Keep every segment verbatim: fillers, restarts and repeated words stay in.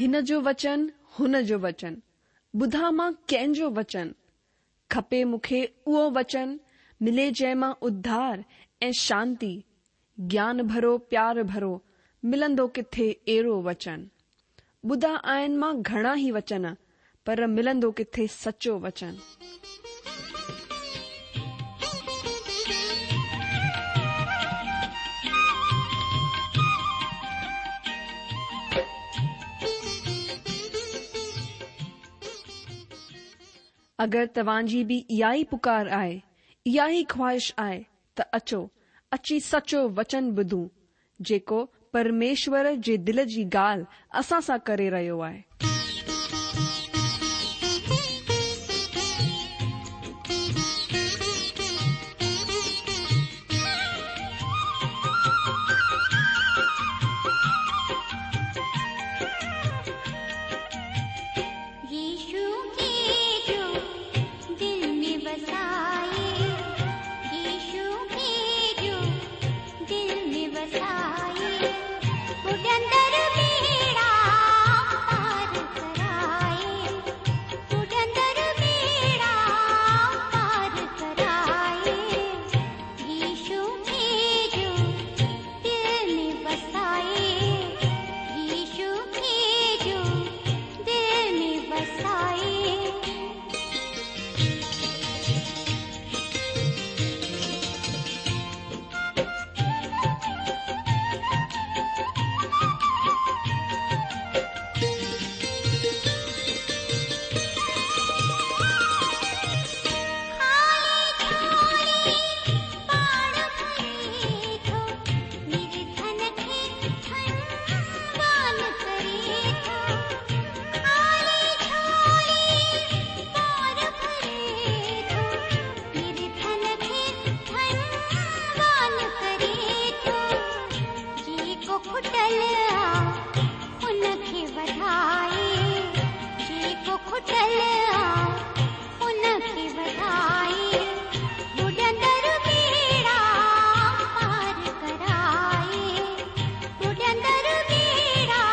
هن جو وچن هن جو وچن، ٻڌان مان ڪنهن جو وچن؟ کپي مون کي اهو وچن، ملي جنهن مان اڌار ۽ شانتي، گيان ڀرو پيار ڀرو، ملندو ڪٿي اهڙو وچن؟ ٻڌا آهن مان گهڻا ئي وچن، پر ملندو ڪٿي سچو وچن؟ اگر توهان جي به اها ئي پڪار آهي، اها ئي خواهش آهي ته اچو، اچي سچو وچن ٻڌون، جيڪو پرميشور جي دل جي ڳالهه اسان سان ڪري رهيو آهي. يشو کي جو دل ۾ وسائي، يشو کي جو دل ۾ وسائي، ٻڏندڙ ٻيڙا پار ڪرائي، ٻڏندڙ ٻيڙا پار ڪرائي، يشو کي جو دل ۾ وسائي، يشو کي جو دل ۾ وسائي. خالي جهولي پاڻ ڀري ٿو، نرڌن کي ڌنوان ڪري ٿو. خالي جهولي پاڻ ڀري ٿو، نرڌن کي ڌنوان ڪري ٿو. جيڪو کٽل آ ان کي وڌائي، جيڪو کٽل آ ان کي وڌائي، ٻڏندڙ ٻيڙا پار ڪرائي، ٻڏندڙ ٻيڙا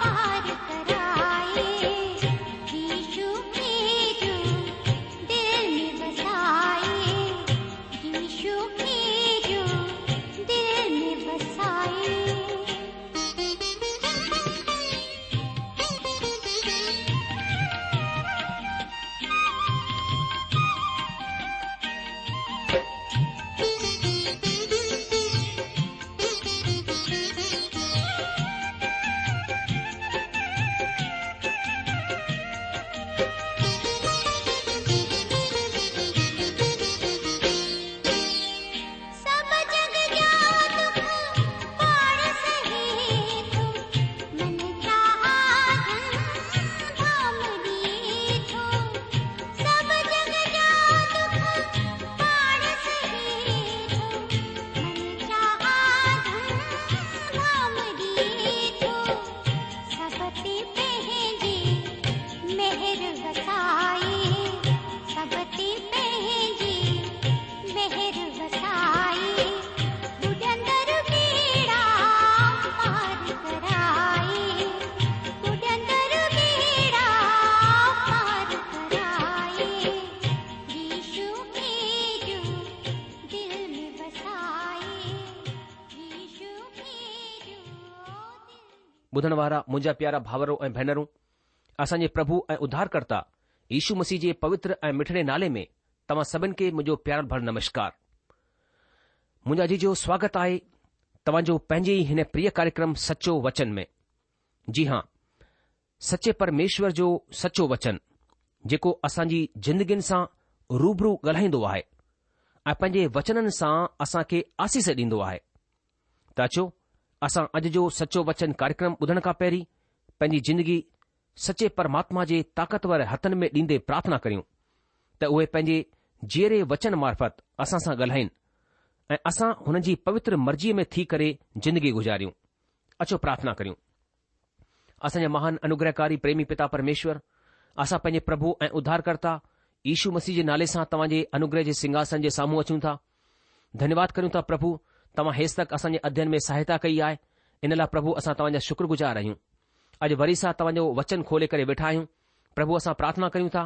پار ڪرائي، يشو کي جو دل ۾ وسائي، يشو کي جو دل ۾ وسائي. سڀ جڳ جا دک پاڻ سهي ٿو، من چاها ڌن ڌام ڏئي ٿو. سڀ جڳ جا دک پاڻ سهي ٿو، من چاها ڌن ڌام ڏئي ٿو. سڀ تي پنهنجي مهر وسائي، سڀ تي پنهنجي مهر وسائي، ٻڏندڙ ٻيڙا پار ڪرائي، ٻڏندڙ ٻيڙا پار ڪرائي، يشو کي جو دل ۾ وسائي، يشو کي جو دل ٻڌڻ وارا منهنجا پيارا ڀائرو ۽ ڀينرون، اسان جي پرڀو ۽ اڌارڪرتا يشو مسيح جي پوتر ۽ مٺڙي نالي ۾ توهان سڀن کي منهنجو پيار ڀريل نمشڪار. منهنجا عزيزو سواگت آهي توهان جو پنهنجي ئي هن پريه ڪاريڪرم سچو وچن ۾. جي هان، سچي پرميشور جو سچو وچن جيڪو اسان جي زندگين سان روبرو ڳالهائيندو آهي ۽ پنهنجي وچنن سان اسان کي آسيس ڏيندو آهي. ته اچو اسان اڄ جو سچو وچن ڪاريڪرم ٻڌڻ کان پهرين پنهنجي زندگي سچي پرماتما جي طاقتور هٿن ۾ ڏيندي پرارٿنا ڪريون ته اهي پنهنجي جيئري وچن معرفت اسان سان ڳالهائين ۽ اسان هن جي پوتر مرضيء ۾ ٿي ڪري زندگي گذاريون. اچو پرارٿنا ڪريون. اسان جا مهان انوگرهڪاري پريمي پتا پرميشور، اسان پنهنجي پرڀو ۽ اڌارڪرتا يشو مسيح جي نالي سان توهان جي انوگره جي سنگهاسن جي سامهون اچون ٿا. ڌنيواد ڪريون ٿا پرڀو توهان هيستڪ اسان جي اڌين ۾ سهائتا ڪئي آهي، ان لاء پرڀو اسان توهان جا شڪرگذار آهيون. اڄ وري سان توهان جو وچن کولي ڪري ويٺا آهيون. پرڀو اسان پرارٿنا ڪريون ٿا،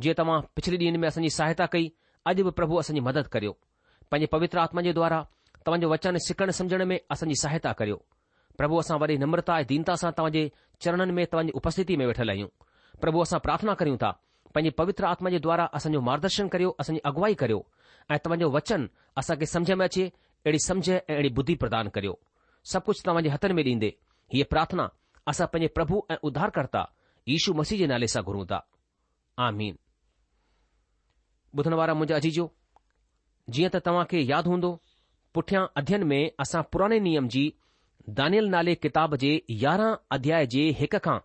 جيئن توهان پڇلي ڏينهن ۾ اسان جي سهائتا ڪئي، اڄ به پرڀو اسان جي مدد ڪريو. پنهنجي پوتر آتما جي دوارا توهان جو وچن سکڻ سمجهڻ ۾ اسان جي سهائتا ڪريو. پرڀو اسان وڏي نمرتا ۽ دينتا سان توهان جي چرڻن ۾ توهان جي اپسٿتي ۾ ويٺل آهيون. پرڀو اسان پرارٿنا ڪريون ٿا، پنهنجي پوتر آتما جي دوارا اسان جو مارگدرشن ڪريو، اسان جي اڳوائي ڪريو ۽ توهان جو وچن اسان کي سمجهه ۾ اچي، اهڙي سمجهه ۽ اهڙي ٻڌي پردان ڪريو. سڀ ڪجهه توهان جي هٿن ۾ ڏيندي هيء پرارٿنا اسان پنهنجي پرڀو ۽ اڌارڪرتا يشو مسيح جي نالي سان گهرون ٿا. آمين. ٻڌڻ وارا منهنجا عزيزو، جيئن ته توهان کي ياد هوندو، پٺيان اڌين ۾ اسان پراڻي نيم جي دانيل نالي ڪتاب جي يارهن اڌياء جي هڪ کان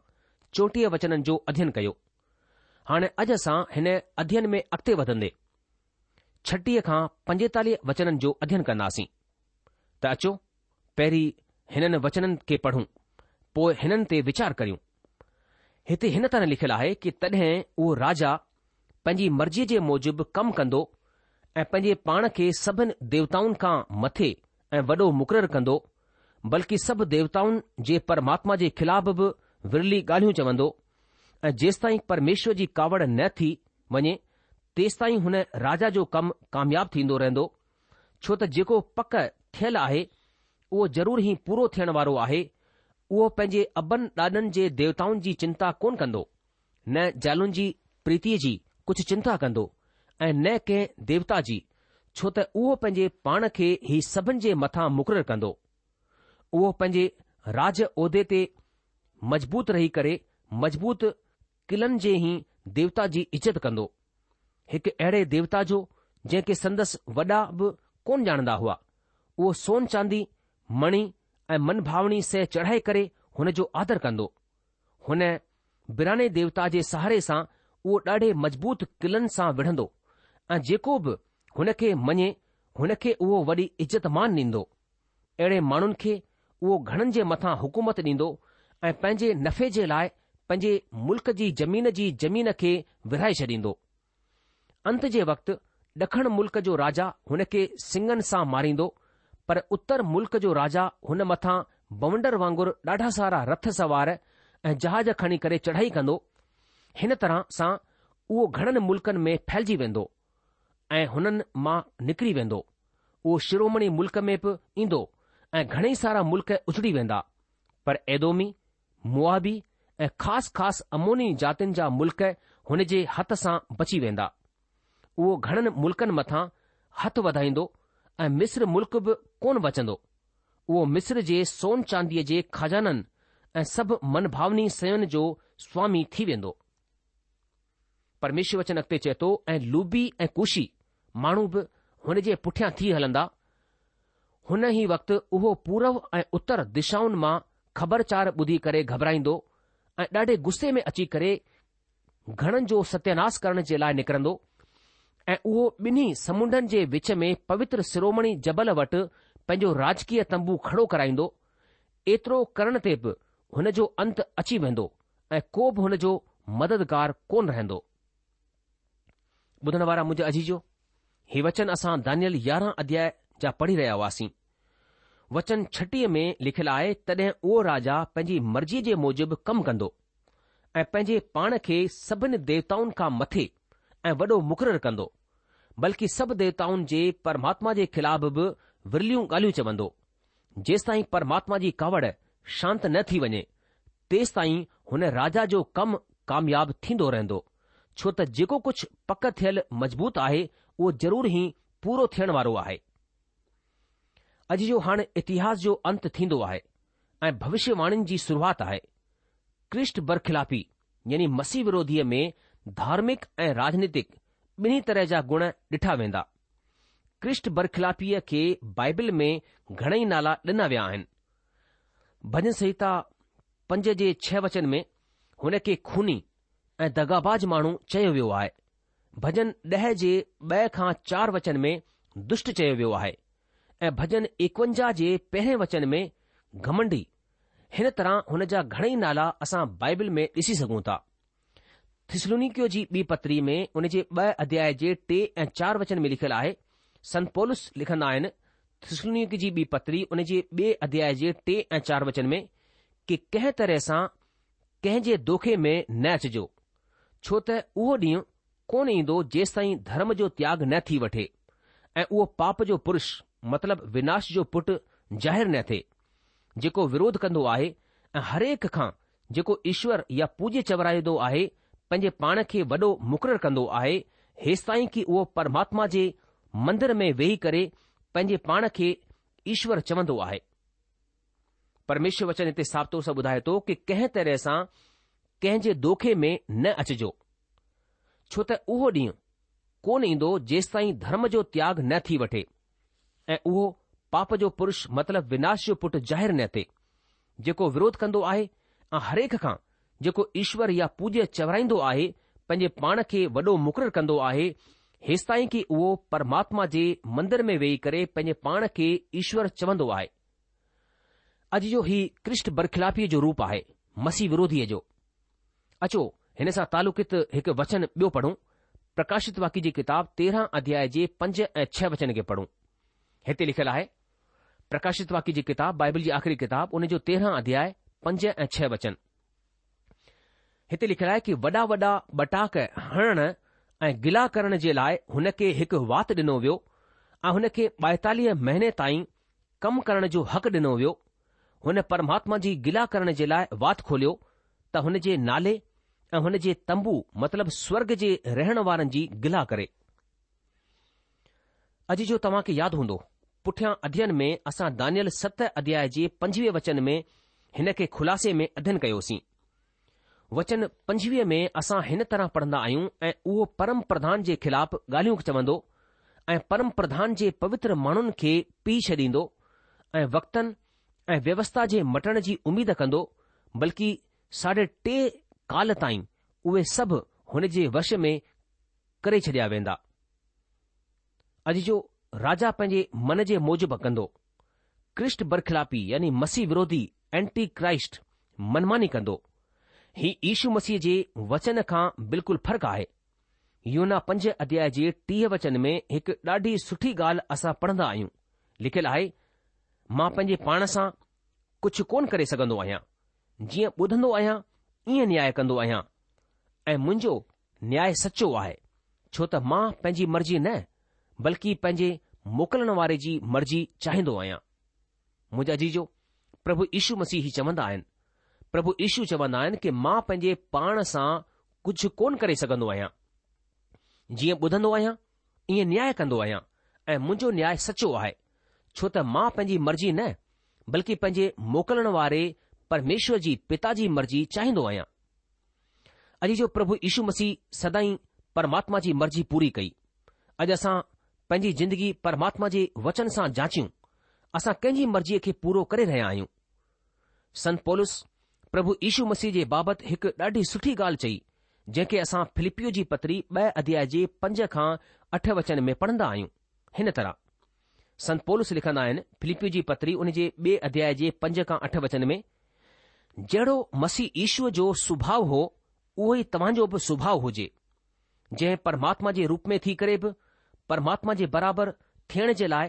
چوٽيهه وچنن جو اڌين ڪيو. هاڻي اڄ اسان هن اڌين ۾ اڳتي وڌندي ڇٽيهه کان پنجيتاليهه وچنن جو اڌين ڪنداسين. ته اچو پهرين هنن وچنن کي پڙهون، پوء هنن تي ويچار ڪريون. هتي هن طرح لکيل آهي ڪه تڏهن اهو راجا پنهنجي مرضيء جي موجب ڪم ڪندو ۽ پنهنجي پاڻ کي سڀن ديوتائن کان مٿي ۽ وڏو مقرر ڪندو، بلڪه سڀ ديوتائن جي پرماتما جي خلاف به ورلي ڳالهيون چوندو ۽ جيستائين پرميشور جي ڪاوڙ نه ٿي وڃي تيستائين هن راجا جو ڪم ڪامياب ٿيندو رهندو، ڇو ته جيڪو پڪ ٿيل آهي اهو ضرور ئي پورو ٿيڻ وارو آهي. اهو پنهنجي ابن ڏاڏن جي ديوتائن جي چنتا ڪونه ڪندو، نه زالن جي پريتيء جي ڪجهه چنتا ڪندو ۽ نه ڪنهن ديوتا جي، ڇو ته اهو پنهنجي پاڻ کي ئي سڀن جي مٿان مقرر ڪندو. اهو پنهنجي راج عهدي تي مضبوط رهي ڪري مضبوط قلعن جي ئي ديوتا جي عزت ڪندو. هڪ اهڙي ديوتا جو جنهن کي سندس وڏا به ڪونه ڄاڻندا هئا. اهو سون چاندي، مڻي ۽ منڀاوڻي شيء چڙهائي ڪري هن جو آدر ڪندو. هن ويراني ديوتا جي سهاري سان اهو ڏاڍي مضبوط قلعن سان وڙهندو ۽ جيڪو به هن کي مڃي هن کي اهو وڏي عزت مان ڏيندو. اهڙي ماڻهن کي اهو گهڻن جي مٿان حڪومت ڏيندو ۽ پنهنجي نفعي جي لاء پنهنجي ملڪ جي زمين جي زمين کي ورهائي ڇڏيندو. انت جي وقت ڏکڻ ملڪ جو راجا هن کي سڱن سان ماريندو، پر اتر ملڪ جو راجا هن مٿان بونڊر وانگر ڏاڍا سارا رٿ سوار ۽ جهاز کڻي ڪري چڙهائي ڪندو. هن طرح سان اهو گهڻن ملڪن ۾ ڦهلجي ويندو ۽ هنن مان نڪري ويندو. اهو شرومڻي ملڪ ۾ به ايندو ۽ گهڻئي سارا ملڪ اجڙي ويندا. پر ايدومي، موآبي ۽ خاص خاص عموني جاتين جا ملڪ هن جي هٿ سان بچي ويندا. اهو گهڻن ملڪن مٿان هٿ وڌائيندو ۽ مصر ملڪ به ڪونه بچندو. اهو مصر جي سون چانديء جي خزانن ۽ سڀ منڀاوني شين جو سوامي ٿي ويندو. پرميشور وچن اڳتي چئي ٿو ۽ لوبي ۽ ڪوشي ماڻهو به هن جي پٺيان ٿي هلندا. هن ئي وقت اهو پورو ۽ اتر دشائن مان خبرچار ٻڌي ڪري گهٻرائيندو ۽ ڏاڍي غصي ۾ اچي ڪري گهڻن جو ستياناس ڪرڻ جي لاء نڪرندو ۽ اهو ٻنهي سمنڊن جي وچ ۾ پوتر شرومڻي جبل وٽ پنهنجو راجڪيه تنبو کڙو ڪرائيندو. ايترو ڪرڻ تي به هن جو انت اچي ويندو ۽ ڪو به هن جو مددگار ڪونه رهندو. ٻڌڻ وارا منهنجا عزيزو، هي وچن اسان دانيل يارهن اڌياء جا پڙهي رهيا هئاسين. وچن ڇٽيهه ۾ لکيل آهي، تڏهن اهو راجا پنهنجي مرضيء جي موجب ڪم ڪندو ۽ پنهنجي پاڻ کي سڀن ديوتائن کان مٿي ۽ وڏو مقرر ڪندو، بلڪه سڀ ديوتائن جي پرماتما جي خلاف به ورليون ڳالهيون چوندو. جيستائين پرماتما جي ڪاوڙ شانت نه ٿي وڃي، تيستائين هن راجا جو ڪم ڪامياب ٿيندو رهندو، ڇو ته جيڪو ڪجهه پڪ ٿيل مضبوط آهي، اهو ضرور ئي پورو ٿيڻ وارو آهي. عزيزو هاڻ اتهاس جو انت ٿيندو آهي ۽ ڀوشيواڻين جي شروعات آهي. ڪرسٽ برخلافي يعني مسيح وروڌيء ۾ ڌارمڪ ۽ راجنيتڪ ٻنهي طرح جا گڻ ڏٺا ويندا. ڪرسٽ برخلافيء کي بائبل ۾ گهڻئي نالا ڏنا ويا آهن. ڀڄن سنهتا پنج جي ڇهه وچن ۾ هن کي خوني ۽ دغاباز ماڻهو چيو ويو آهي. ڀڄن ڏهه جي ٻه کان چار وچن ۾ دشٽ چيو ويو آهي ۽ ڀڄن ايڪونجاهه جي پهرين وچن ۾ گهمنڊي. هن طرح هن جا گهڻئي نالا اسان بائبل ۾ ڏسي سگهون ٿا. ٿسلونيڪيو جي ٻي پتري ۾ ان جي ٻه اڌياء جي ٽي ۽ چار وچن ۾ لکيل آهي، سنت پولس لکندا آهن، ٿسلونيڪي جي ٻي پتري ان جي ٻئي اڌياء جي ٽي ۽ چار وچن ۾ ڪي ڪنهن طرح سان ڪنهن جي دوکي ۾ نه اچجو، ڇو ته اهو ڏينهن ڪونه ايندو جيستائين ڌرم جو تياڳ نه ٿي وٺي ۽ اهو پاپ جو پرش مطلب وناش جو پٽ ظاهر نه ٿئي، جيڪو وروڌ ڪندو آهي ۽ هرهڪ کان جيڪو ايشور يا پوجيه چورائيندو آهي، پنهنجي پاڻ کي وڏو مقرر ڪندو آهي، هيستائين ڪي اهو پرماتما جي مندر ۾ ويهي ڪري پنهنجي پاڻ کي ايشور چوندو آهي. پرميشور وچن هتي صاف طور سان ٻڌائي ٿو ڪي ڪنهن طرح سان ڪنهن جي دوکي ۾ نه اچجو، ڇو ته اهو ڏينهن ڪونه ايندو جيستائين ڌرم جو تياڳ نه ٿي وٺي ۽ اهو پاپ جو پرش مطلب وناش جو پٽ ظاهر نه ٿئي، جيڪو وروڌ ڪندو آهي ۽ هرهڪ کان جيڪو ايشور يا پوجيه چورائيندو آهي، پنهنجي پاڻ کي وڏو مقرر ڪندو آهي، هيستائين ڪي اهو پرماتما جي مندر ۾ ويهي ڪري پنهنجي پاڻ کي ايشور چوندو آهي. اڄ جو هي ڪرسٽ برخلافيء جو روپ آهي، مسيح وروڌيء جو. اچو هن سان تعلقت هڪ وچن ٻيو پڙهون، پرڪاشت واڪيه جي ڪتاب تيرهن اڌياء جي پنج ۽ ڇهه وچن کي پڙهون. هتي لکيل آهي، پرڪاشت واڪيه جي ڪتاب، بائبل جي آخري ڪتاب، ان جو تيرهن اڌياء، پنج ۽ ڇهه وچن. هتي لکيل آهي ڪي وڏا وڏا ٻٽاڪ هڻڻ ۽ گلا ڪرڻ جي لاء هن کي هڪ وات ڏنو ويو ۽ هن کي ٻائيتاليهه مهيني تائين ڪم ڪرڻ جو حق ڏنو ويو. هن پرماتما جي گلا ڪرڻ جي لاء وات کوليو ته هن جي نالي ۽ هن جي تنبو مطلب سورگ جي رهڻ وارن جي گلا ڪري. اڄ جو توهان کي ياد هوندو، پٺيان اڌين ۾ اسان دانيل ست اڌياء جي پنجويهه وچن ۾ هن کي خلاصي ۾ اڌين ڪيوسين. وچن پنجويهه ۾ اسان هن طرح پڙهندا آهيون ۽ اهو پرم پرڌان جي خلاف ڳالهيون چوندو ۽ پرم پرڌان جي پوتر ماڻهن کي پيهي ڇڏيندو ۽ وقتن ۽ ويوسٿا جي مٽڻ جي اميد ڪندو بلڪه ساڍي ٽي ڪال تائين اهي سڀ هن جي وش ۾ ڪري ڇڏيا ويندا. اڄ جو راجا پنهنجي من جي موجب ڪندو. ڪرسٽ برخلافي يعني مسيح وروڌي، Anti Christ، منماني ڪندو. هي يشو مسيح جي وچن کان بلڪل فرق آهي. يوحنا پنج اڌياء جي ٽيهه وچن ۾ هڪ ڏاڍي سٺي ڳالهه اسان پڙهندا آهيون. لکيل آهي، مان پنهنجي پاڻ سان ڪجهه ڪونه ڪري سگهندو آهيان. جيئن ٻڌندو آهيان ائين نياء ڪندو آهيان ۽ منهنجو نياء سچو آهي، ڇو ته مان پنهنجي مرضي نه، بلڪه پنهنجي موڪلڻ واري جي مرضي چاهيندو آهيان. منهنجا عزيزو، پرڀو يشو مسيح هي چوندا آهن. پرڀو يشو چوندا آهن ڪي مان پنهنجي پاڻ سان ڪجهه ڪونه ڪري سگهندو آهيان. جيئن ٻڌندو آهيان، ائين نياء ڪندو آهيان ۽ منهنجو نياء سچو آهي، ڇو ته مان پنهنجي مرضي نه، بلڪه پنهنجي موڪلڻ واري پرميشور جي پتا جي مرضي چاهيندو آهيان. عزيزو پرڀو يشو مسيح سدائين پرماتما جي مرضي پوري ڪئي. اڄ اسان پنهنجي زندگي پرماتما جي وچن سان جانچيون، اسان ڪنهن جي مرضيء کي پورو ڪري رهيا آهيون؟ سنت پولس پرڀو يشو مسيح جي بابت هڪ ڏاڍي سٺي ڳالهه چئي، جنهن کي اسان فلپيو جي پتري ٻه اڌياء جي پنج کان اٺ وچن ۾ پڙهندا آهيون. هن طرح سنت پولس لکندا آهن، فلپيو جي پتري ان جي ٻئي اڌياء جي پنج کان اٺ وچن ۾، جهڙو مسيح يشوء جو سڀاء هو، اهو ئي توهان جو به سڀاء هجي، جنهن پرماتما جي روپ ۾ ٿي ڪري به پرماتما جي برابر ٿيڻ جي لاء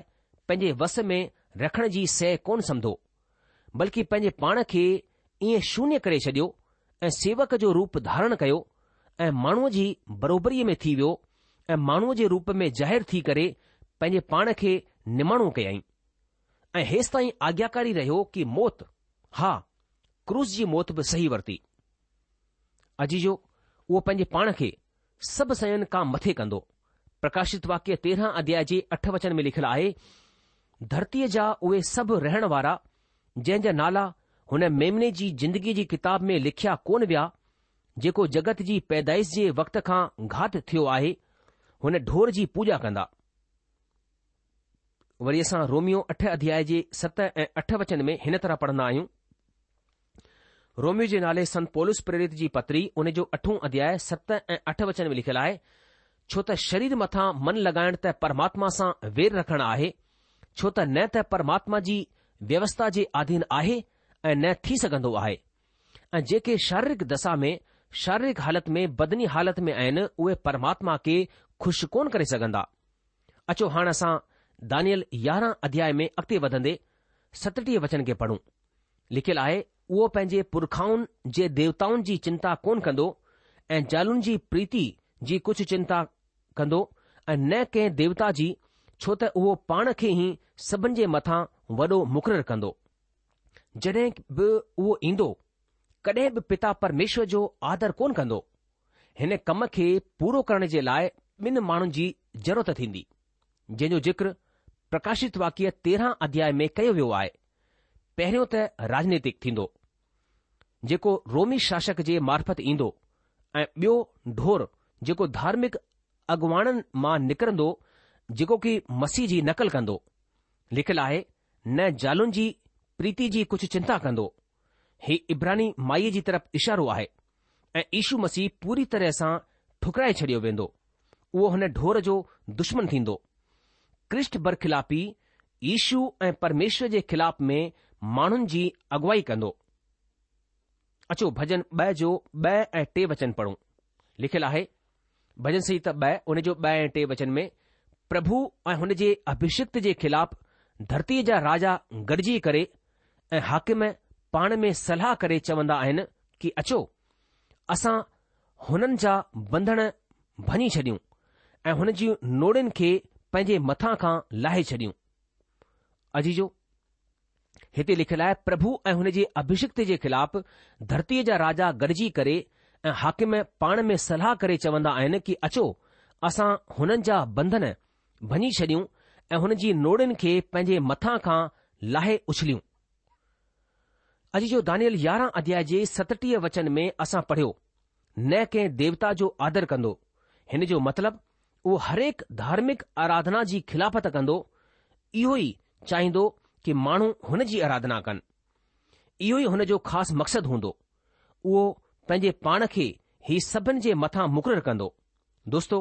پنهنجي وس ۾ رکڻ جي شيء ڪونه سمڌو، بلڪه پنهنجي پاڻ کي ائين شونيه ڪري ڇڏيو ۽ سيوڪ جو روپ ڌارڻ ڪيو ۽ ماڻهوء جي بروبريء ۾ ٿي ويو ۽ ماڻهوء جي روپ ۾ ظاهر ٿي ڪري پنهنجي پاڻ کي نماڻو ڪيائين ۽ هيستائين آگياڪاري رهيو ڪي موت، ها، ڪروس جي موت به سهي ورتي. عزيزو، اهو پنهنجي پاڻ کي سڀ شين کان مٿي ڪندو. پرڪاشت واڪيه تيرهن اڌياء جي اٺ وچن ۾ لکيل آهي، ڌرتيء جا اهي سڀ رهڻ وارا، جنهن جا نالا هن ميمني جي زندگيء جي ڪتاب ۾ لکيا ڪونه ويا، جيڪو جڳت جي پيدائش جي وقت کان گهات ٿيو آهي، هن ڍور جي پوڄا ڪندا. وري اسان روميو اٺ اڌياء جي ست ۽ اٺ وچن ۾ هن طرح پڙهندا آهيون. روميو جي نالي سنت پولس پريرت جي پتري ان جو اٺون اڌياء ست ۽ اٺ وچن ۾ لکيل آهي، ڇو ته شرير مٿان من لڳائڻ ته پرماتما سان وير رکڻ آهي، ڇو ته نه ته پرماتما جي ويوسٿا جي آڌين آهي ۽ نه ٿي سگهندو آهي. ۽ جيڪي شاريرڪ دسا ۾ شاريرڪ حالت ۾ بدني حالت ۾ آهن اهي پرماتما کي خوش ڪونه ڪري سگهندا. اچو هاڻ اسان دانيئل يارهن اڌياء ۾ اڳتي وڌندي ستٽيهه وچن کي پڙهون. لکيل آهي، اهو پنهنجي پرکائن جي ديوتائن جي چنتا ڪونه ڪندو ۽ زالن جي پريتي جي ڪجهه چنتا ڪندو ۽ نه ڪنهن ديوتا جي، ڇو ته اهو پاڻ کي ئي سڀن جي مٿان وڏو مقرر ڪندو. جڏهن به اهو ايندو، ڪڏهن به پتا پرميشور جو آدر ڪونه ڪندو. هن ڪم کي پورو ڪرڻ جي لاء ٻن ماڻهن جي ضرورت ٿيندي، جنهن جو ذڪر پرڪاشت واڪيه تيرهن اڌياء ۾ ڪيو ويو آهي. پهريون ته راجنيتڪ ٿيندو، جيڪو رومي شاسڪ جي معرفت ايندو ۽ ٻيو ڍور جيڪو ڌارمڪ اڳواڻن مان نڪرندو جيڪو ڪي مسيح جي نقل ڪندو. لکيل آهي، نه زالن جي پريتي جي ڪجهه چنتا ڪندو. هي عبراني مائيء جي طرف اشارو آهي ۽ يشو مسيح پوري طرح سان ٺڪرائي ڇڏيو ويندو. اهو هن ڍور جو دشمن ٿيندو. ڪرسٽ برخلافي يشو ۽ پرميشور جي خلاف ۾ ماڻهن جي اڳوائي ڪندو. اچو ڀڄن ٻه جو ٻه ۽ ٽي وچن پڙهون. لکيل آهي، ڀڄن سنهتا ٻه ان جو ٻه ۽ ٽي وچن ۾ پرڀو ۽ هن جي اڀشڪت جي خلاف ڌرتيء جا راجا گڏجي ڪري ۽ حاڪم پاڻ ۾ صلاح ڪري چوندا آهن ڪي اچو، اسان هنن جا ٻنڌڻ ڀڃي ڇڏيون ۽ هن جون نوڙين کي پنهنجي مٿان کان لاهي ڇڏيون. عزيزو! هتي لکيل آهي، پرڀو ۽ هن جي اڀشڪت جي خلاف ڌرتيء جا راجا گڏجي ڪري ۽ حاڪم پاڻ ۾ صلاح ڪري چوندا آهن ڪي اچو، اسان هنن جا ٻنڌن ڀڃي ڇڏيون ۽ هن جي نوڙين کي پنهنجي مٿان کان لاهي اڇليون. عزيزو دانيئل يارهن اڌياء جي ستٽيهه وچن ۾ اسان پڙهيو، نه ڪنهن ديوتا جو آدر ڪندو. هن جو مطلب اهو هرهڪ ڌارمڪ آراڌنا جي خلافت ڪندو، اهو ئي چاهيندو ڪي ماڻهو هن جي آراڌنا ڪن. اهو ئي هن جو خاص مقصد هوندو. اهو پنهنجي پاڻ کي ئي سڀن جي مٿان مقرر ڪندو. دوستو،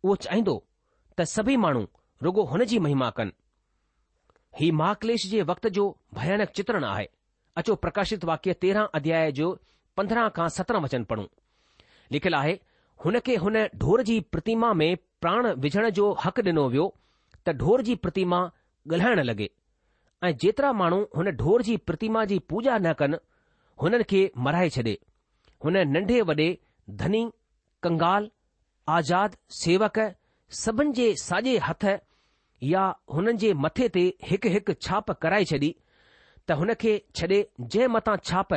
اهو چاهيندو ته سڀئي ماڻهو رڳو هن جي مهما ڪن. هي مهاڪليش جي وقت جو ڀيانڪ چترڻ آهي. اچو پرڪاشت واڪيه تيرهن اڌياء جو پندرهن کان سترهن وچن پڙهون. لکيل آهي، هن کي هن ڍور جي پرتيما ۾ پراڻ وجهڻ جو حق ڏنو ويو ته ڍور جي پرتيما ڳالهائڻ لڳي ۽ جيترا ماڻهو هن ڍور جي پرتيما جي پوڄا نه ڪن، هنن کي مارائي ڇڏي. هن ننڍي وڏي، ڌني، ڪنگال، آزاد، سيوڪ، سڀن جي ساڄي هٿ يا هنن جي مٿي تي هڪ هڪ ڇاپ ڪرائي ڇڏي ته هن کي ڇڏي جنهن مٿان ڇاپ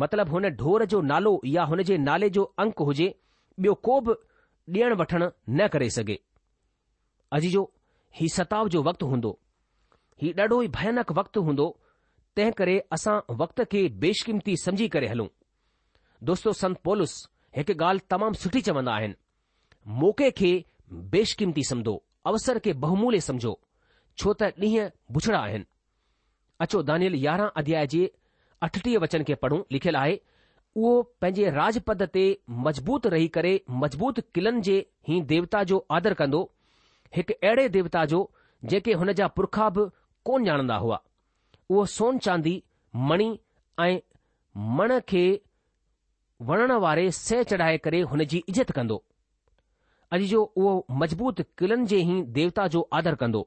مطلب هن ڍور جو نالو يا هن جي نالي جو انڪ هجي ٻيو ڪو به ڏيڻ وٺڻ نه ڪري سگهي. عزيزو! هي ستاء جو وقت هوندو. هي ڏاڍو ئي ڀيانڪ وقت هوندو تنهن ڪري اسان وقت کي بيشقيمتي سمجهي ڪري هلون. دوستو سنت پولس هڪ ڳالهه تمام سٺي چوندا آهن. موقعي کي بيشقيمتي سمجهو، اوسر کي بهوموليه سمجهو، ڇو ته ڏينهن بڇڙا آهن. اچو دانيئل يارهن اڌياء جي اٺٽيهه وچن کي پڙهون، لکيل آهي، اهو پنهنجي راڄپد تي مضبوط رهي ڪري مضبوط قلعن جي هين ديوتا جو آدر ڪندو، هڪ اهڙي ديوتا جو جنهن کي هن جا پرکا به ڪونه ڄاڻندا هئا. اهو سون چاندي، مڻي ۽ من کي وڻڻ واري شيء چڙهائي ڪري هن جي عزت ڪندو. عزيزو اهو مضبوط قلعن جي هين ديوتا جو آدر ڪندو.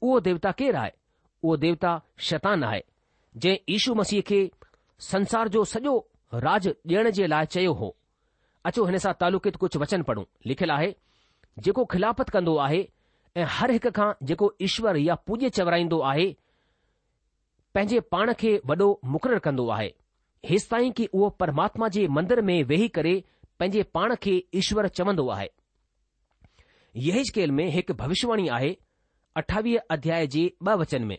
اهو ديوتا ڪير آهي؟ اهو ديوتا شيطان آهي، جنهن يشو مسيح کي سنسار جو سڄو راڄ ڏيڻ جي لاء چيو هو. اچو هن سان تعلقيت ڪجهه وچن پڙهون. لکيل آهي، جيڪو خلافت ڪندو آهي ۽ هر هڪ کان جيڪو ايشور يا پوڄيه چورائيندو آهي، پنهنجي پاڻ کي وڏو مقرر ڪندو آهي، هيستائين ڪي اهو پرماتما جي مندر ۾ ويهي ڪري پنهنجي پاڻ کي ايشور چوندو آهي. يحيزڪيل ۾ هڪ ڀوشواڻي آهي اٺاويهه اڌياء جي ٻه وچن ۾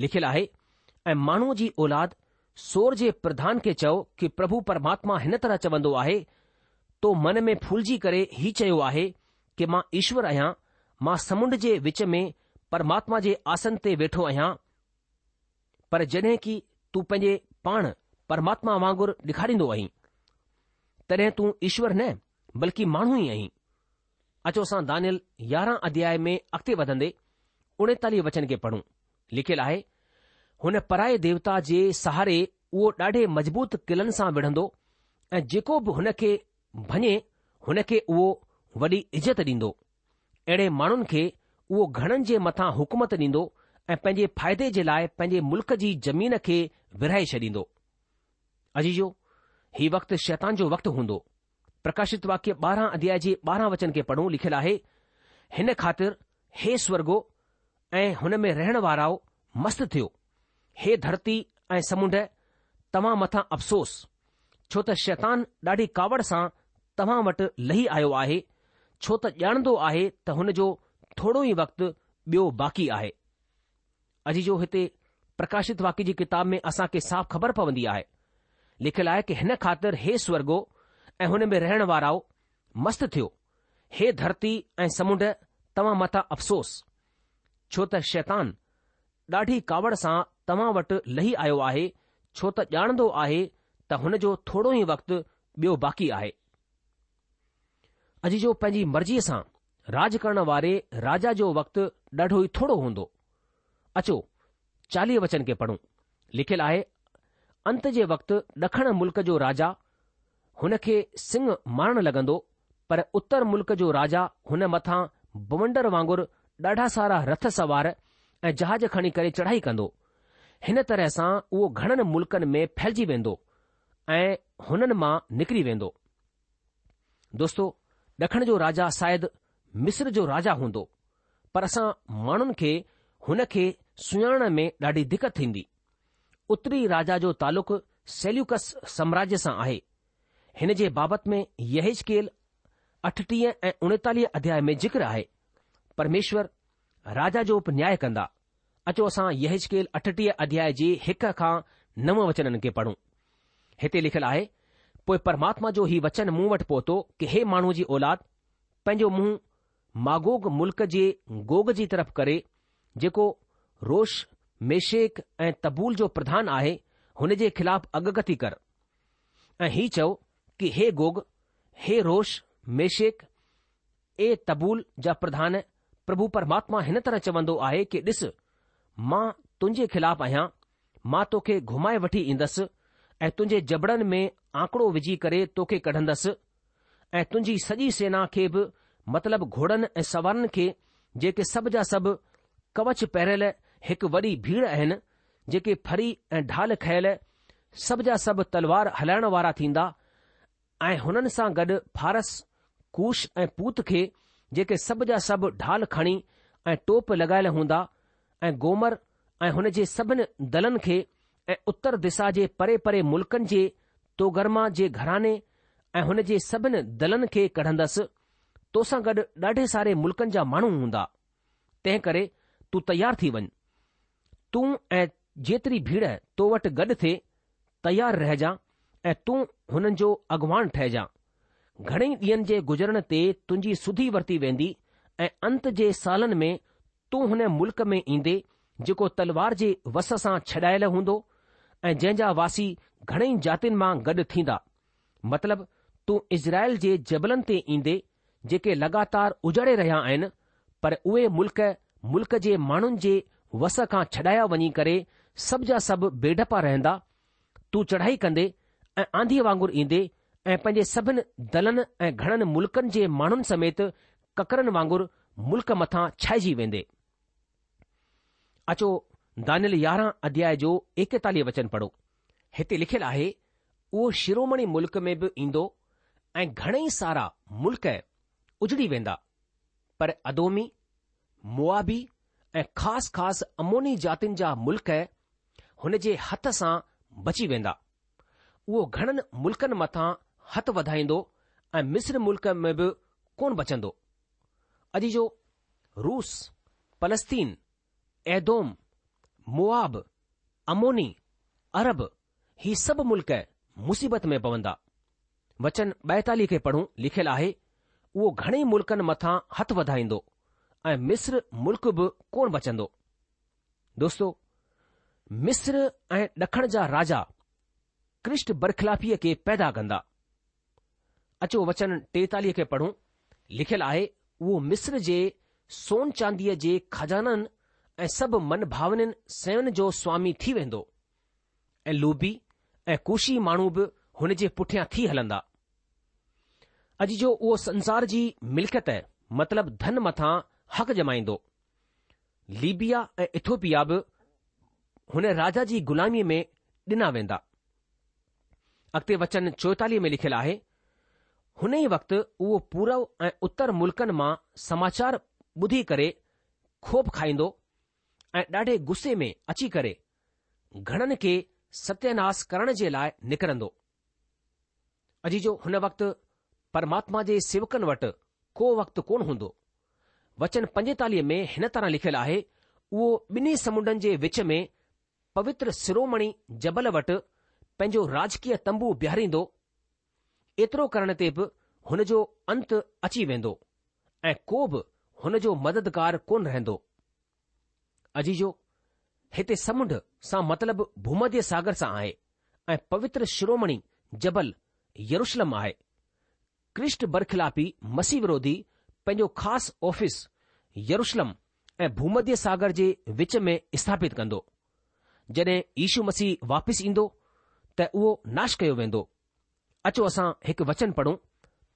لکيل آهي، ۽ ماڻهوء جي اولاد سور جي پرڌان کي چئو ڪي پرڀو پرماتما هن طرح چوندو آهي، تو من ۾ ڦولجي ڪري هي چيو آهي ڪي مان ايشور آهيان، مان سمنڊ جي وچ ۾ پرماتما جي آسن تي ويٺو آهيان، پر جڏهن ڪي تون پنهنجي پاڻ پرماتما وانگر ڏيکاريندو آهين، تڏهن تون ايشور نه بلڪه ماڻهو ئي آهين. اچو اسان دانيل يارهن اڌياء ۾ اڳتي وڌندي اڻيتاليهه وچن کي پڙهون. لکيل آهي، هن پرائي ديوتا جي سهاري اهو ڏاڍي مضبوط قلعن سان وڙهندو ۽ جيڪو به هن کي ڀڃي هن کي اهو وڏي عزت ڏيندو. اهڙي ماڻهن کي اهو گهڻن جي مٿان حڪومت ڏيندو ۽ پنهنجي فائدي جي لاء پنهنجي ملڪ جي زمين کي ورهائي ڇڏيندو. عزيزو، هي وقت شيطان جو وقت هوندو. پرڪاشت واڪيه ٻارهن اڌياء جي ٻارهن وچن کي پڙهون لکيل آهي، هن خاطر هي سورڳو ۽ هن ۾ رهڻ وارائو مست ٿيو، هي ڌرتي ۽ سمنڊ توهان مٿان افسوس، ڇو ته شيطان ڏاڍي ڪاوڙ سان توهان وٽ لهي آيو آهي، ڇو ته ڄاڻندو آهي ته هن جو ٿورو ئي وقت ٻيو باقي آهي. عزيزو هتي پرڪاشت واڪيه جي ڪتاب ۾ اسان کي صاف خبر پوندي آهي. لکيل آهي ڪه هن خاطر هي سورڳو ۽ هن ۾ رهڻ وارائو مست ٿيو، هي ڌرتي ۽ سمنڊ توهان مٿان افسوس، ڇو ته شيطان ڏاڍي ڪاوڙ سان توهان وٽ لهي آيو آهي، ڇو ته ڄاڻندو آهي ته هن جو ٿورو ئي وقت ٻيو باقي آهي. عزيزو پنهنجي مرضيء سان راڄ ڪرڻ واري راجا جو وقت ڏاڍو ئي ٿورو هوندو. اچو چاليهه وچن کي پڙهون. لکيل آهي، انت جي وقت ڏکڻ ملڪ جو راجا هن کي سنگهه مارڻ لڳندو، پر اتر ملڪ جو راجا هن مٿان بونڊر وانگر ڏاڍا سارا رٿ سوار ۽ جهاز کڻي ڪري چڙهائي ڪندو. هن طرح سان اهو گهڻن ملڪن ۾ ڦهلجي ويندو ۽ هنن مان نڪري ويندو. دوستو، ڏکڻ جو راجا شايد مصر جو راجا هوندو، پر اسان ماڻهن کي هن کي سڃاڻڻ ۾ ڏاڍي دقت ٿيندي. اتري راجا جو تعلق سيليوڪس سامراجيه سان آهي. هن جي بابت ۾ يحيزڪيل اٺٽيهه ۽ اڻيتاليهه اڌياء ۾ ذڪر آهي. پرميشور راجا جو به نياء ڪندا. اچو اسان يحيزڪيل اٺٽيهه اڌياء جي هڪ کان نو وچنن کي پڙهون. هتي لکيل آهي، پوء پرماتما جو هي وچن مون وٽ پهتو ڪه هي ماڻهوء جي اولاد، پنهنجو منهن ماگوگ ملڪ جي گوگ جي طرف ڪري، جيڪو روش، ميشيڪ ۽ تبول جو پرڌان آهي، هن جي خلاف اڳڪٿي ڪر. ۽ هي چئو ڪه هي گوگ، هي روش، ميشيڪ ۽ تبول جا پرڌان، پرڀو پرماتما هن طرح چوندو آهي ڪه ڏس، مان تنهنجي خلاف آهيان، مان توکي گهمائي وٺي ايندس ۽ تنهنجي جبڙن ۾ آنڪڙو وجهي ڪري توکي ڪڍندس ۽ تنهنجي سڄي سينا کي به مطلب گهوڙن ۽ سوارن کي جيڪي سڀ جا سڀ ڪوچ پهريل هڪ وڏي ڀيڙ آهن، جيڪي ڦرهي ۽ ڍال کنيل سڀ جا سڀ تلوار هلائڻ وارا ٿيندا ۽ هنن سان گڏ فارس، ڪوش ۽ پوت کي جيڪي سڀ جا سڀ ڍال کڻي ۽ ٽوپ لڳايل هوندا ۽ گومر ۽ هن جي سڀن دلن کي ۽ اتر دسا جي پري پري ملڪن جي توگرما جي گهراڻي ۽ هن جي سڀن دلن کي ڪڍندس، تو سان گڏ ڏاڍي ساري ملڪن جا ماڻهو هوندا. تنهن ڪري تون تيار ٿي وڃ. تون ۽ جيتري ڀيڙ تو وٽ گڏ ٿئي، تيار رهجان ۽ تون هنن جو اڳواڻ ٺهجان. گهڻي ڏينهن جي گذرڻ تي تنهنجي سڌي ورتي ويندي ۽ انت جي سالن ۾ تون هن ملڪ ۾ ايندي جيڪو تلوار جي وس سان ڇڏايل هوندو ۽ جنهن جا واسي گهڻئي جاتين مان گڏ ٿيندا. مطلب تون اسرائيل جي جبلن تي ايندي جيڪي لڳاتار اجڙي رهيا آهن، پر اهي ملڪ ملڪ جي ماڻهن جي وس کان ڇڏايا وڃي ڪري سڀ جا سڀ بي ڊپا رهندا. تون چڙهائي ڪندي ۽ آنڌيء وانگر ايندي ۽ پنهنجي سڀن دلن ۽ گهڻن ملڪن جي ماڻهن سميت ڪڪرن وانگر ملڪ مٿان ڇائجي ويندي. اچو دانيل يارهن اڌياء جو ايڪيتاليهه وچن پڙهو. هتي لکيل آهي، اهو شرومڻي ملڪ ۾ به ايندو ۽ گهڻئي سارا ملڪ اجڙي ويندا، پر ادومي، موآبي ۽ خاص خاص عموني جاتين جا ملڪ هن جي هٿ سان بچي ويندا. اهو گهڻن ملڪن مٿان هٿ وڌائيندو ۽ مصر ملڪ ۾ به ڪونه بچندو. عزيزو، روس، فلسطين، ايدوم، موآب، عموني، عرب، هي سڀ ملڪ مصيبت ۾ پوندا. وچن ٻائيتاليهه کي پڙهون، لکيل آهي، اهو گهڻي ملڪن مٿان هٿ وڌائيندو ۽ مصر ملڪ به ڪونه بچندو. دوستو، مصر ۽ ڏکڻ جا راجا ڪرسٽ برخلافيء کي پيدا ڪندا. اچو وچن ٽيتاليهه کي پڙهون، لکيل آهي، اهو مصر جي سون چانديء جي خزانن ۽ سڀ من ڀاونين شين جو سوامي ٿي ويندو ۽ لوبي ۽ ڪوشي ماڻهو به هن جي پٺيان ٿي هلندا. عزيزو اهو سنسار جي ملڪيت مطلب ڌن مٿان حق ڄمائيندو. ليبيا ۽ ايٿوپيا به هن راجا جي غلاميء ۾ ڏنا ويندا. اڳتي وچن چوئيتاليهه ۾ لکيل آهي، هن ئي وقت اهو پورو ۽ اتر ملڪن مان سماچار ٻڌي ڪري خوف کائيندو ۽ ڏاڍي غصي ۾ اچي ڪري گهڻن کي ستياناس ڪرڻ جي لاء نڪرندو. عزيزو، هن وقت پرماتما جي سيوڪن وٽ ڪو وقت ڪونه هوندو. وچن پنجيتاليهه ۾ هن طرح لکيل آهي، اهو ٻنهي سمنڊن جي وچ ۾ پوتر شرومڻي جبل وٽ پنهنجو راجڪيه تنبو بيهاريندو، ايترو ڪرڻ تي به هن جو انت اچي ويندو ۽ ڪو به هن جو مددگار ڪونه رهندو. عزيزو، هتي سمنڊ سان مطلب ڀومڌيه ساگر سان آهي ۽ پوتر شرومڻي جبل يروشلم آهي. ڪرسٽ برخلافي مسيح وروڌي پنهنجو خاص آفيس يروشلم ۽ ڀومڌيه ساگر جي وچ ۾ اسٿاپت ڪندو. جڏهن يشو مسيح واپس ايندو ته اهو ناش ڪيو ويندو. اچو اسان هڪ وچن پڙهون،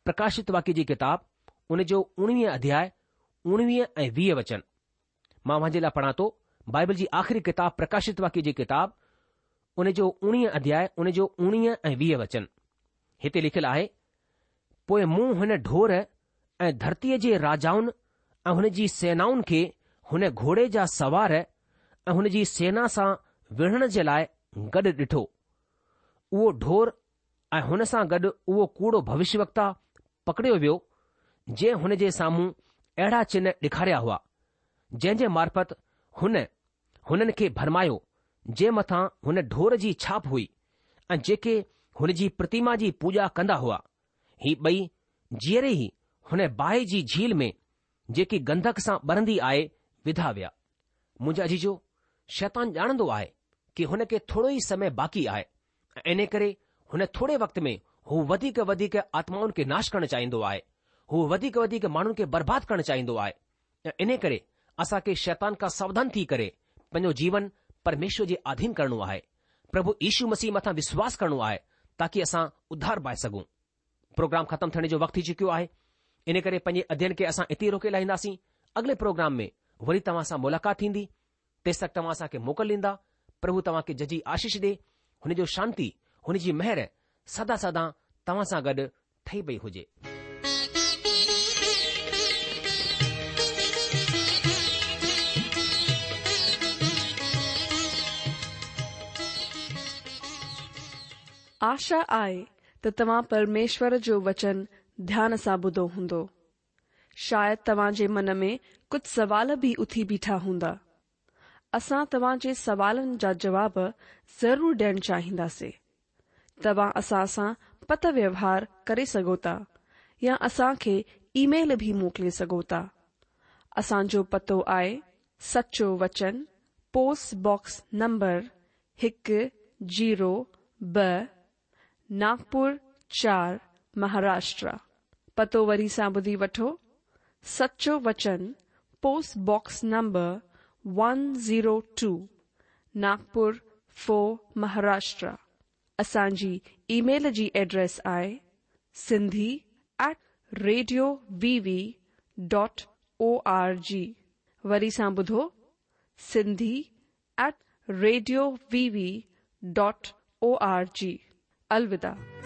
پرڪاشت واڪيه جي ڪتاب ان جو اڻويهه اڌياء اڻويهه ۽ ويهه وچن. مان اوهان جي لاء پڙهان ٿو بائبل جي آخري ڪتاب پرڪاشت واڪيه جي ڪتاب ان جو اڻويهه اڌياء ان جو اڻويهه ۽ ويهه وچن. هتي لکيل آهي، پوء مون هن ڍور ۽ ڌرتيء جي راجائن ۽ هن جي سينائن کي هن گهوڙي جا سوار ۽ هن جي سينا سان وڙهڻ جي لاء گڏ ڏٺو. اهو ڍور ۽ هن سان گڏ اهو ڪوڙو ڀوشيوڪتا پڪڙيو ويو، جنهن هن جي سامهون اهڙا چنه ڏيکاريا هئا، جنهن جي معرفت هن هنن کي ڀرمايو، جنهن مٿان هن ڍور جي ڇاپ هئي ۽ جيڪي هن جي پرتيما جي پوڄا ڪندا هئا. هي ٻئي جيئري ئي هن باهه جي جهيل ۾ جيڪي گنڌڪ سان ٻرندي آهي وڌا ويا. منهنجا عزيزو، شيطان ڄاڻندو آهي ڪي هن کي ٿورو ئي سمي باقي آهي ۽ انهي ڪري هن ٿوري وقت ۾ هو وڌيڪ وڌيڪ آتمائن کي ناش ڪرڻ چاهيندو آهي. هو وڌيڪ وڌيڪ ماڻهن کي برباد ڪرڻ چاهيندو آهي ۽ انهي ڪري اسان کي شيطان کان ساوڌان ٿي ڪري پنهنجو جيون پرميشور جي آڌين ڪرڻو آهي. پرڀو يشو مسيح مٿان وشواس ڪرڻو آهي تاڪي اسان اڌار پائي سگهون. پروگرام ختم ٿيڻ جو وقت ٿي چڪيو آهي، ان ڪري پنهنجي اڌين کي اسان اتي ئي روڪي لاهينداسين. اڳلي پروگرام ۾ وري توهان سان ملاقات ٿيندي. تيس تڪ توهان اسان کي موڪل ڏيندا. پرڀو توهان کي ججهي آشيش ڏي. هن جو شانتي، هن جي مهر سدا سدا توهان سان گڏ ٺهي پئي هجي. آشا آهي ته توهان پرميشور جو وچن ڌيان سان ٻڌو هوندو. شايد توهان جي من ۾ ڪجهه سوال به اٿي بيٺا هوندا. اسان توهان جي سوالن جا جواب ضرور ڏيڻ چاهينداسين. توهان اسان سان پتر ويوهار ڪري سگهو ٿا يا اسان کي اي ميل به موڪلي سگهو ٿا. اسان جو پتو آهي سچو وچن پوسٽ باڪس نمبر هڪ زيرو ٻه ناگپور چار مهاراشٽر. پتو وري سان ٻڌي وٺو، سچو وچن post box number one zero two Nagpur four Maharashtra. اسان جي اي ميل جي ايڊريس آهي Sindhi at radio V V dot O R G. وري سان ٻڌو Sindhi at radio V V dot O R G. الوداع.